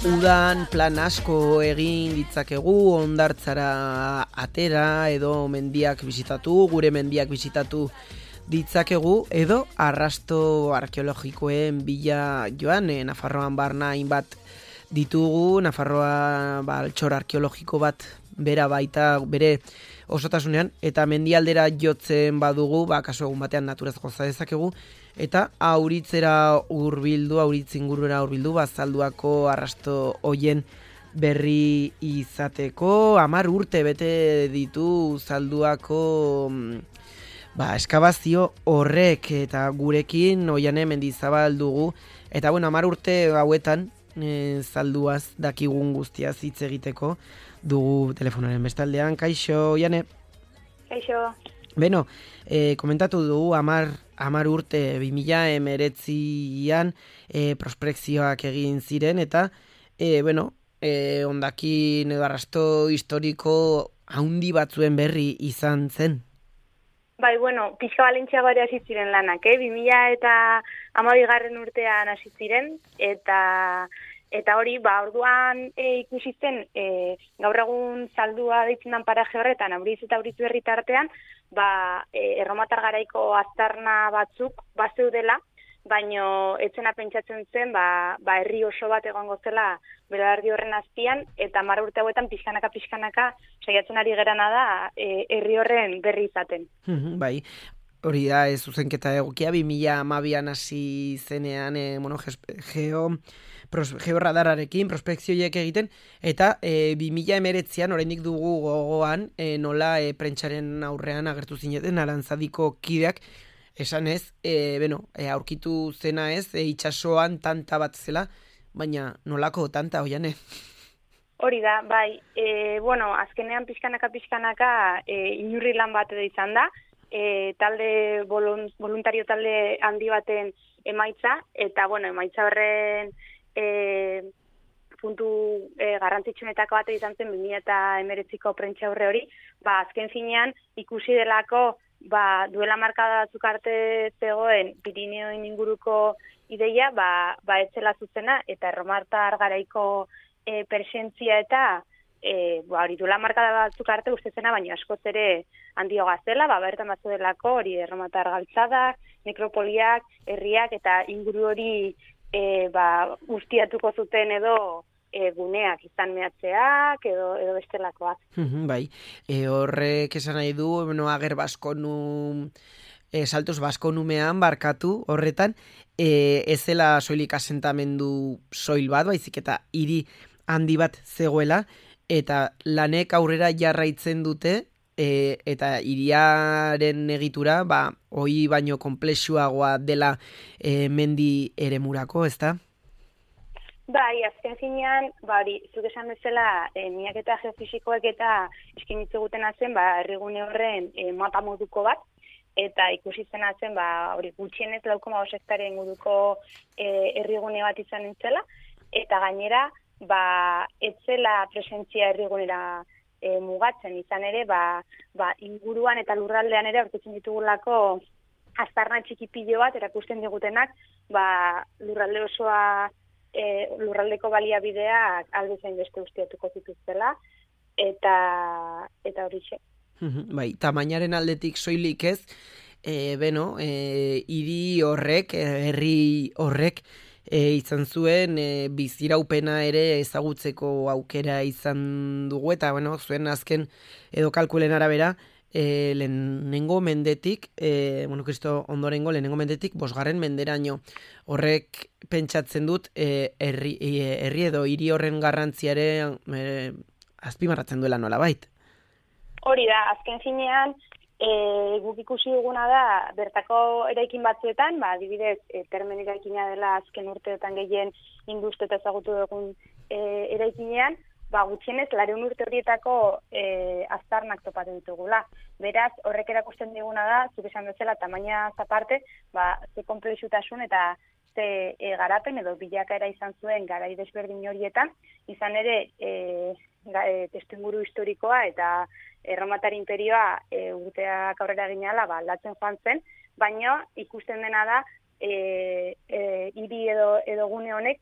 udan plan asko egin ditzakegu, hondartzara atera edo mendiak bisitatu, gure mendiak bisitatu ditzakegu edo arrasto arkeologikoen bila joan, Nafarroan barna hainbat ditugu, Nafarroa altxor arkeologiko bat bera baita bere osotasunean, eta mendialdera jotzen badugu, kasu egun batean naturaz goza dezakegu, eta auritzera hurbildu, auritz ingurura hurbildu, Zalduako arrasto hoien berri izateko. 10 urte bete ditu Zalduako eskabazio horrek, eta gurekin Oiane Mendizabal dugu, eta 10 urte hauetan Zalduaz dakigun guztiaz hitz egiteko dugu telefonaren bestaldean. Kaixo, Oiane? Kaixo. Beno, komentatu dugu 10 urte 2019an prospekzioak egin ziren, eta hondakin edo arrasto historiko haundi batzuen berri izan zen. Bai, pixka balentziago ere hasi ziren lanak, 2012 urtean hasi ziren, eta hori, orduan ikusi zen, gaur egun Zaldua deitzen den paraje horretan, Auriz eta Auritz berri tartean, erromatar garaiko aztarna batzuk bazeudela, baino etzena pentsatzen zen, herri oso bat egongo zela belardi horren azpian, eta 10 urte hauetan pixkanaka saiatzen ari gerana da herri horren berri izaten. Bai, hori da zuzenketa egokia, 2012an hasi zenean georradararekin prospekzioiek egiten, eta 2019an oraindik dugu gogoan nola prentsaren aurrean agertu zineten Arantzadiko kideak, esan ez, aurkitu zena ez, itsasoan tanta bat zela, baina nolako tanta, Oiane? Hori da, bai, azkenean pixkanaka inurri lan bat edo izan da, talde voluntario talde handi baten emaitza, eta emaitza horren puntu garrantzitsuenetako bat izan zen 2019ko prentsa aurre hori, azken finean ikusi delako duela markada batzuk arte zegoen Pirineoen inguruko ideia, etzela zuzena, eta erromatar garaiko presentzia eta hori duela markada batzuk arte uste zena, baina askoz ere handio gazela, bertan batzu delako hori erromatar galtzadak, nekropoliak, herriak eta inguru hori guztiatuko zuten edo guneak izan mehatzeak edo bestelakoak. Bai, horrek esan nahi du, ager baskonu, saltos baskonumean barkatu horretan, ez zela soilik asentamendu soil bat, baizik eta hiri handi bat zegoela, eta lanek aurrera jarraitzen dute, eta hiriaren egitura, hoi baino konplexuagoa dela mendi eremurako, ezta? Bai, azken finean, zuk esan bezala, miaketa geofisikoek eta eskinitzu gutena zen, herrigune horren mapa moduko bat, eta ikusi zena zen, hori gutxienez 4,5 hektarea inguruko herrigune bat izan entzela, eta gainera, etzela presentzia herrigunera mugatzen izan ere, inguruan eta lurraldean ere aurkitzen ditugulako aztarna txikipilo bat erakusten digutenak, lurralde osoa lurraldeko baliabideak albezain beste ustiatuko zituztela, eta horixe. Bai, tamainaren aldetik soilik ez, hiri horrek, herri horrek, izan zuen biziraupena ere ezagutzeko aukera izan dugu, eta zuen azken edo kalkulen arabera, lehenengo mendetik, Kristo ondorengo lehenengo mendetik 5. menderaino. Horrek pentsatzen dut herri edo hiri horren garrantziare azpimarratzen duela nolabait. Hori da, azken finean, guk ikusi duguna da, bertako eraikin batzuetan, adibidez, termen eraikina dela azken urteetan gehien induzte eta ezagutu dugun eraikinean, gutxienez, 200 urte horietako aztarnak topatu ditugula. Beraz, horrek erakusten diguna da, zuk esan bezala, tamaina aparte, ze konplexutasun eta ze garapen edo bilakaera izan zuen garai desberdin horietan, izan ere testuinguru historikoa eta erromatar imperioa urteak aurrera ginala aldatzen joan zen, baina ikusten dena da hiri edo gune honek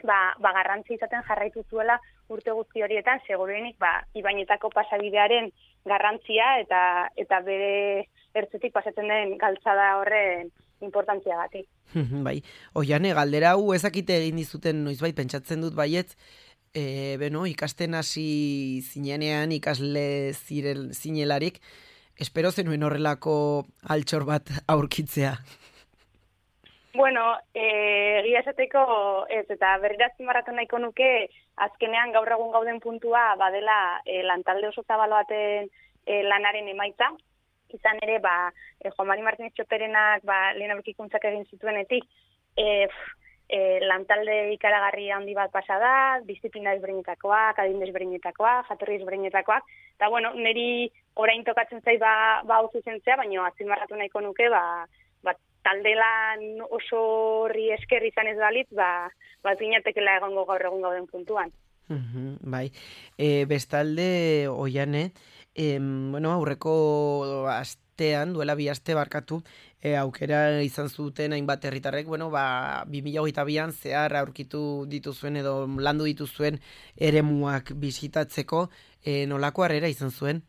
garrantzi izaten jarraitu zuela urte guzti horietan, seguruenik ibainetako pasabidearen garrantzia eta bere ertzetik pasatzen den galtzada horren importantziagatik. Bai, Oiane, galdera hau ezakite egin dizuten noizbait pentsatzen dut baietz, ikasten hasi zinenean ikasle zinelarik, espero zenuen horrelako altxor bat aurkitzea. Bueno, egia esateko ez, eta berriro azpimarratu nahiko nuke, azkenean gaur egun gauden puntua badela lantalde oso zabalo baten lanaren emaitza. Izan ere, Juan Mari Martínez Txoperenak lehen aurkikuntzak egin zituenetik, lantalde ikaragarri handi bat pasa da, disiplina ezberdinetakoak, adin ezberdinetakoak, jatorri ezberdinetakoak, eta bueno, niri orain tokatzen zait hau zuzentzea, baina azpimarratu nahiko nuke, talde lan oso horri esker izan ez balitz, zinatekela egongo gaur egun gauden puntuan. Bai, bestalde, Oiane, aurreko astean, duela 2 aste barkatu, aukera izan zuten hainbat herritarrek, 2022an zehar aurkitu dituzuen edo landu dituzuen eremuak bisitatzeko, nolako harrera izan zuen?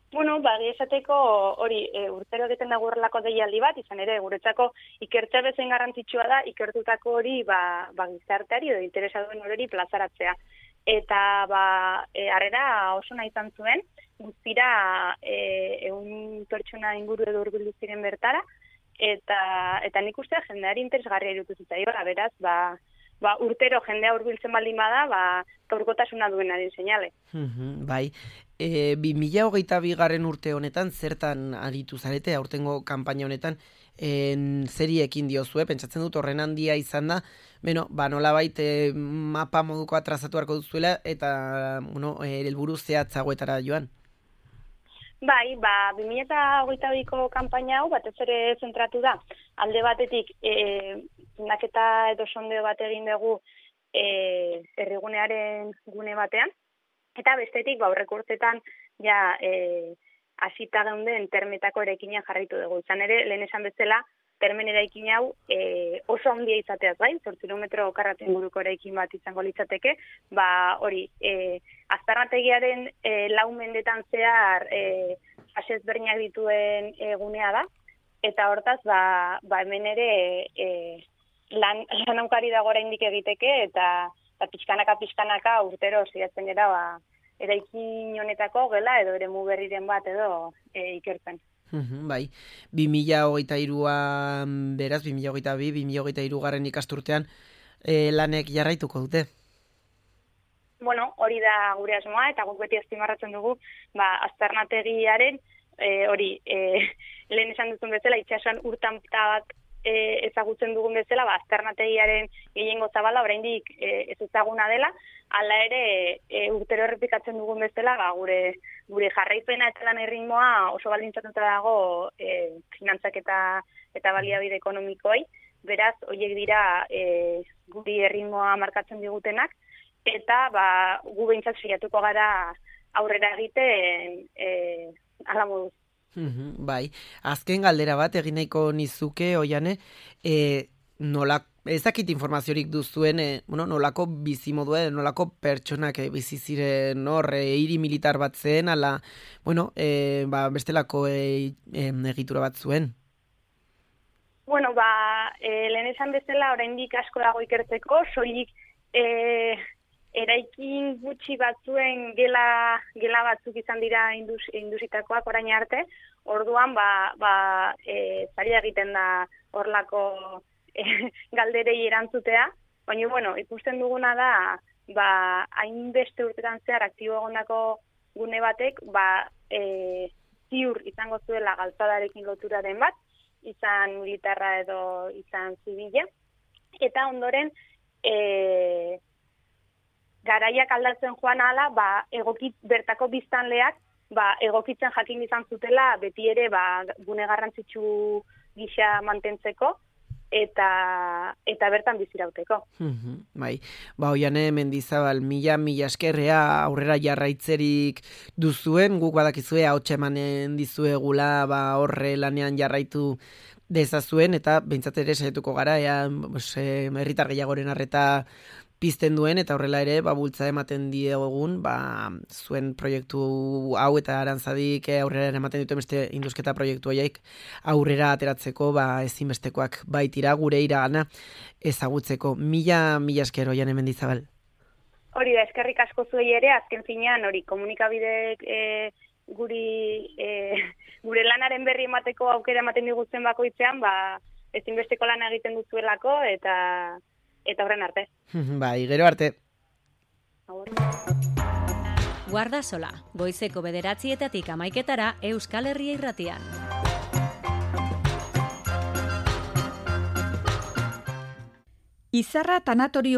Bueno, esateko hori urtero egiten da gurrelako deialdi bat, izan ere guretzako ikertzea bezain garrantzitsua da, ikertutako hori gizarteari edo interesaduen hori plazaratzea. Eta harrera oso nahi izan zuen, guztira 100 pertsona inguru edo hurbildu ziren bertara, eta nik uste jendeari interesgarria irutu zitzaiola, beraz, urtero jendea hurbiltzen baldin bada, gaurkotasuna duenaren seinale. Bai, 2022 urte honetan, zertan aritu zarete, aurtengo kanpaina honetan, zeriekin diozue, pentsatzen dut horren handia izan da, nolabait mapa moduko atrazatu harko duzuela, eta, helburu zehatzagoetara joan. Bai, 2022ko kanpaina hau batez ere zentratu da. Alde batetik, zundaketa edo sondeo bat egin dugu herrigunearen gune batean, eta bestetik, aurreko urtetan, hasita geunden termetako eraikinean jarraitu dugu. Izan ere, lehen esan bezala, termen eraikin hau oso handia izateaz gain, 8 kilometro karraten buruko eraikin bat izango litzateke, hori, aztarnategiaren 4 mendetan zehar fase ezberdinak dituen gunea da, eta hortaz, hemen ere lan aukari dago oraindik egiteke, eta pixkanaka urtero saiatzen gara eraikin honetako gela edo eremu berriren bat edo ikertzen. Bai, 2023an beraz, 2023 garren ikasturtean lanek jarraituko dute? Bueno, hori da gure asmoa, eta guk beti azpimarratzen dugu, aztarnategiaren, lehen esan duzun bezala, itxasuan urtamta bat ezagutzen dugun bezala, aztarnategiaren gehiengo zabala oraindik ez ezaguna dela, hala ere urtero errepikatzen dugun bezala, gure jarraipena eta lan erritmoa oso baldintzatuta dago finantzak eta baliabide ekonomikoei, beraz, horiek dira guri erritmoa markatzen digutenak, eta gu behintzat saiatuko gara aurrera egiten hala moduz. Bai, azken galdera bat egin nahiko nizuke, Oiane, ez dakit informaziorik duzuen, nolako bizimodua, nolako pertsonak bizi ziren hiri militar bat zen, ala, bestelako egitura bat zuen? Bueno, lehen esan bezala, oraindik asko dago ikertzeko, soilik eraikin gutxi batzuen gela batzuk izan dira indusitakoak orain arte, orduan zaila egiten da horlako galderei erantzutea, baina ikusten duguna da hainbeste urtetan zehar aktibo egondako gune batek ziur izango zuela galtzadarekin loturaren bat, izan militarra edo izan zibila, eta ondoren garaiak aldatzen joan ahala, bertako biztanleak egokitzen jakin izan zutela beti ere gune garrantzitsu gisa mantentzeko eta bertan bizirauteko. Bai, Oiane Mendizabal, mila eskerrea aurrera jarraitzerik duzuen, guk badakizue ahotsa emanen dizuegula horre lanean jarraitu dezazuen, eta behintzat ere saietuko gara, herritar gehiagoren arreta pizten duen, eta horrela ere, bultza ematen diegun, zuen proiektu hau eta Arantzadik aurrera ematen duten beste indusketa proiektu horiek aurrera ateratzeko, ezinbestekoak baitira gure iragana ezagutzeko. Mila esker Oiane Mendizabal. Hori da, eskerrik asko zuei ere, azken finean, komunikabideek gure lanaren berri emateko aukera ematen diguzten bakoitzean, ezinbesteko lana egiten duzuelako, eta horren arte. Gero arte. Guardasola, goizeko 9:00 11:00 Euskal Herria Irratian. Izarra tanatorio